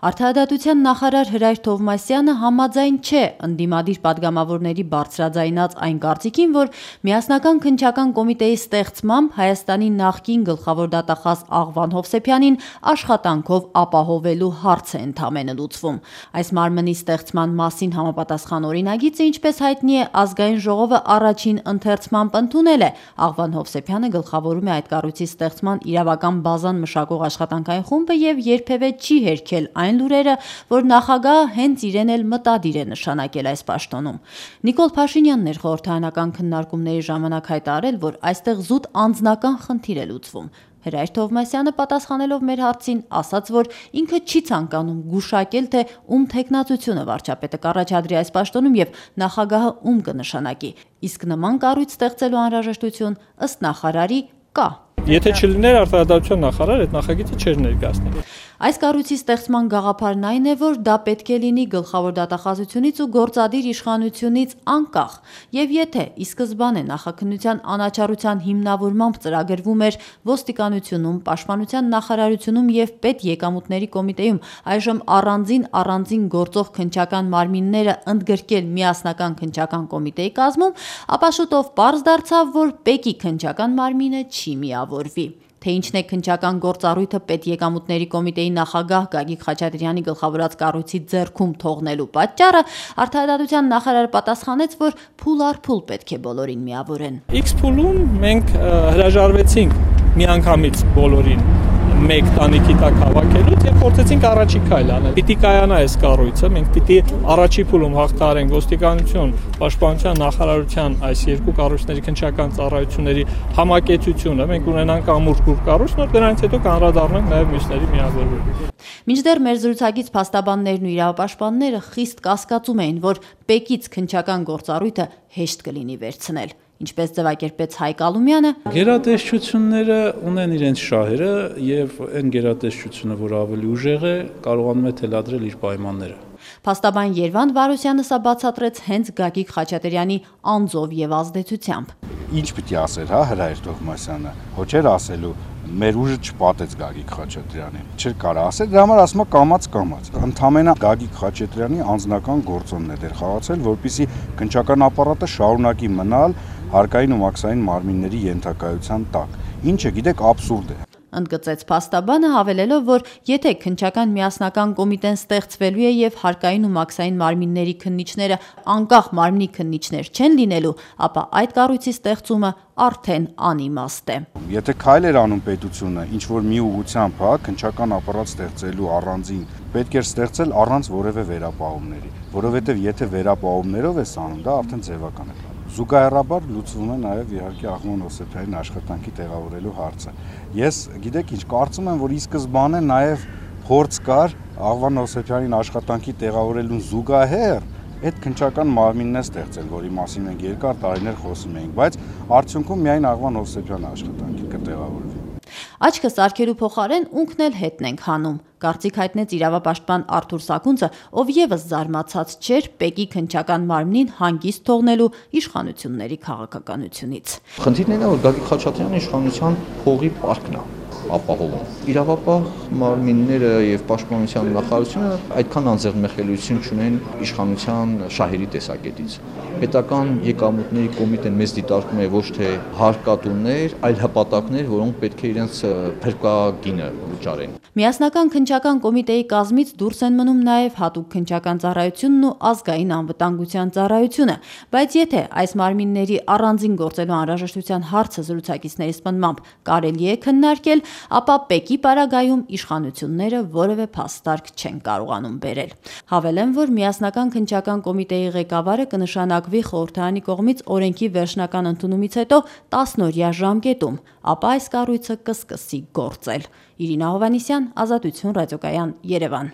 Արդարադատության նախարար Հրայր Թովմասյանը համաձայն չէ ընդդիմադիր պատգամավորների բարձրաձայնած այն կարծիքին, որ միասնական քննչական կոմիտեի ստեղծմամբ Հայաստանի նախկին գլխավոր դատախազ Աղվան Հովսեփյանին աշխատանքով ապահովելու հարց է ընդամենը լուծվում։ Այս մարմնի ստեղծման մասին համապատասխան օրինագիծը, ինչպես հայտնի է, ազգային ժողովը առաջին ընթերցմամբ ընդունել է։ Աղվան Հովսեփյանը գլխավորում է այդ կառույցի ստեղծման իրավական բազան մշակող աշխատանքային խումբը եւ երբևէ չի հերքել այն լուրերը, որ նախագահը հենց իրեն էլ մտադիր է նշանակել այս պաշտոնում։ Նիկոլ Փաշինյանն էր խորհրդարանական քննարկումների ժամանակ հայտարարել, որ այստեղ զուտ անձնական խնդիր է լուծվում։ Հրայր Թովմասյանը պատասխանելով մեր հարցին ասաց, որ ինքը չի ցանկանում գուշակել, թե ում թեկնածությունը վարչապետը կառաջադրի այս պաշտոնում եւ նախագահը ում կնշանակի, իսկ նման կառույց ստեղծելու անհրաժեշտություն ըստ նախարարի կա։ Եթե չլիներ արդարադատության նախարար, այդ նախագիծը չէր ներկայացնի։ Այս կառույցի ստեղծման գաղափարն այն է, որ դա պետք է լինի գլխավոր դատախազությունից ու գործադիր իշխանությունից անկախ, եւ եթե ի սկզբանե նախաքննության անաչառության հիմնավորմամբ ծրագրվում էր ոստիկանությունում, պաշտպանության նախարարությունում եւ պետեկամուտների կոմիտեում այժմ առանձին գործող քննչական մարմինները ընդգրկել միասնական քննչական կոմիտեի կազմում, ապա շուտով պարզ դարձավ, որ ՊԵԿ-ի քննչական մարմինը չի միավորվի։ Թե ինչն է քննչական գործառույթը պետեկամուտների կոմիտեի նախագահ Գագիկ Խաչատրյանի գլխավորած կառույցի ձեռքում թողնելու պատճառը, արդարադատության նախարարը պատասխանեց, որ փուլ առ փուլ պետք է բոլորին միավորեն։ X փուլում մենք հրաժարվեցինք միանգամից բոլորին մեկ տանիքի տակ հավաքելուց եւ փորձեցինք առաջի քայլ անել։ Պիտի կայանա այս կառույցը, մենք պիտի առաջի փուլում հաղթահարենք ոստիկանություն, պաշտպանության նախարարության այս երկու կառույցների քննչական ծառայությունների համակեցությունը, մենք ունենանք ամուր կառույց, նոր դրանից հետո կանդրադառնանք նաեւ մյուսների միավորվելու։ Մինչդեռ մեր զրուցակից փաստաբաններն ու իրավապաշտպանները խիստ կասկածում էին, որ ՊԵԿ-ից քննչական գործառույթը հեշտ կլինի վերցնել։ Ինչպես ձևակերպեց Հայկ Ալումյանը, գերատեսչությունները ունեն իրենց շահերը եւ այն գերատեսչությունը, որ ավելի ուժեղ է, կարողանում է թելադրել իր պայմանները։ Փաստաբան Երվանդ Վարոսյանը սա բացատրեց հենց Գագիկ Խաչատրյանի անձով եւ ազդեցությամբ։ Ինչ պիտի ասեր, Հրայր Թովմասյանը, հո չէր ասելու մեր ուժը չպատեց Գագիկ Խաչատրյանին։ Չէր կարա ասել, դրա համար ասում է կամաց։ Ընդամենը Գագիկ Խաչատրյանի անձնական գործոնն է դեր խաղացել, որպեսզի քննչական ապարատը շարունակի մնալ հարկային ու մաքսային մարմինների ենթակայության տակ, ինչը գիտեք աբսուրդ է։ Ընդգծեց փաստաբանը, հավելելով, որ եթե քննչական միասնական կոմիտեն ստեղծվելու է եւ հարկային ու մաքսային մարմինների քննիչները անկախ մարմնի քննիչներ չեն լինելու, ապա այդ կառույցի ստեղծումը արդեն անիմաստ է։ Եթե քայլ էր անում պետությունը, ինչ որ մի ուղղությամբ, քննչական ապարատ ստեղծելու առանձին, պետք էր ստեղծել առանց որևէ վերապահումների, որովհետեւ եթե վերապահումներով է անում, դա արդեն ձևական է։ Զուգահեռաբար լուծվում է նաև իհարկե Աղվան Հովսեփյանին աշխատանքի տեղավորելու հարցը։ Ես գիտեք ինչ, կարծում եմ, որ ի սկզբանե նաև փորձ կար Աղվան Հովսեփյանին աշխատանքի տեղավորելուն զուգահեռ այդ քննչական մարմինն է ստեղծել, որի մասին մենք երկար տարիներ խոսում էինք, բայց արդյունքում միայն Աղվան Հովսեփյանը աշխատանքի կտեղավորվի։ Աչքը սարքելու փոխարեն ունքն էլ հետն ենք հանում, կարծիք հայտնեց իրավապաշտպան Արթուր Սակունցը, ով եւս զարմացած չէր ՊԵԿ-ի քննչական մարմնին հանգիստ թողնելու իշխանությունների քաղաքականությունից։ Խնդիրն այն է, որ Գագիկ Խաչատրյանի իշխանության փողի պարկն է ապահովում։ Իրավապահ մարմինները եւ պաշտպանության նախարարությունը այդքան անձեռնմխելիություն չունեն իշխանության շահերի տեսակետից։ Պետական եկամուտների կոմիտեն մեզ դիտարկում է ոչ թե հարկատուներ, այլ հպատակներ, որոնք պետք է իրենց փրկագինը վճարեն։ Միասնական քննչական կոմիտեի կազմից դուրս են մնում նաև հատուկ քննչական ծառայությունն ու ազգային անվտանգության ծառայությունը, բայց եթե այս մարմինների առանձին գործելու անհրաժեշտության հարցը զրուցակիցների սպնդմամբ կարելի է քննարկել, ապա ՊԵԿ-ի պարագայում իշխանությունները որևէ փաստարկ չեն կարողանում բերել։ Հավելեմ, որ միասնական քննչական կոմիտեի ղեկավարը կնշանակվի խորհրդարանի կողմից օրենքի վերջնական ընդունումից հետո 10-օրյա ժամկետում, ապա այս կառույցը կսկսի գործել։ Իրինա Հովհաննիսյան, Ազատություն ռադիոկայան, Երևան։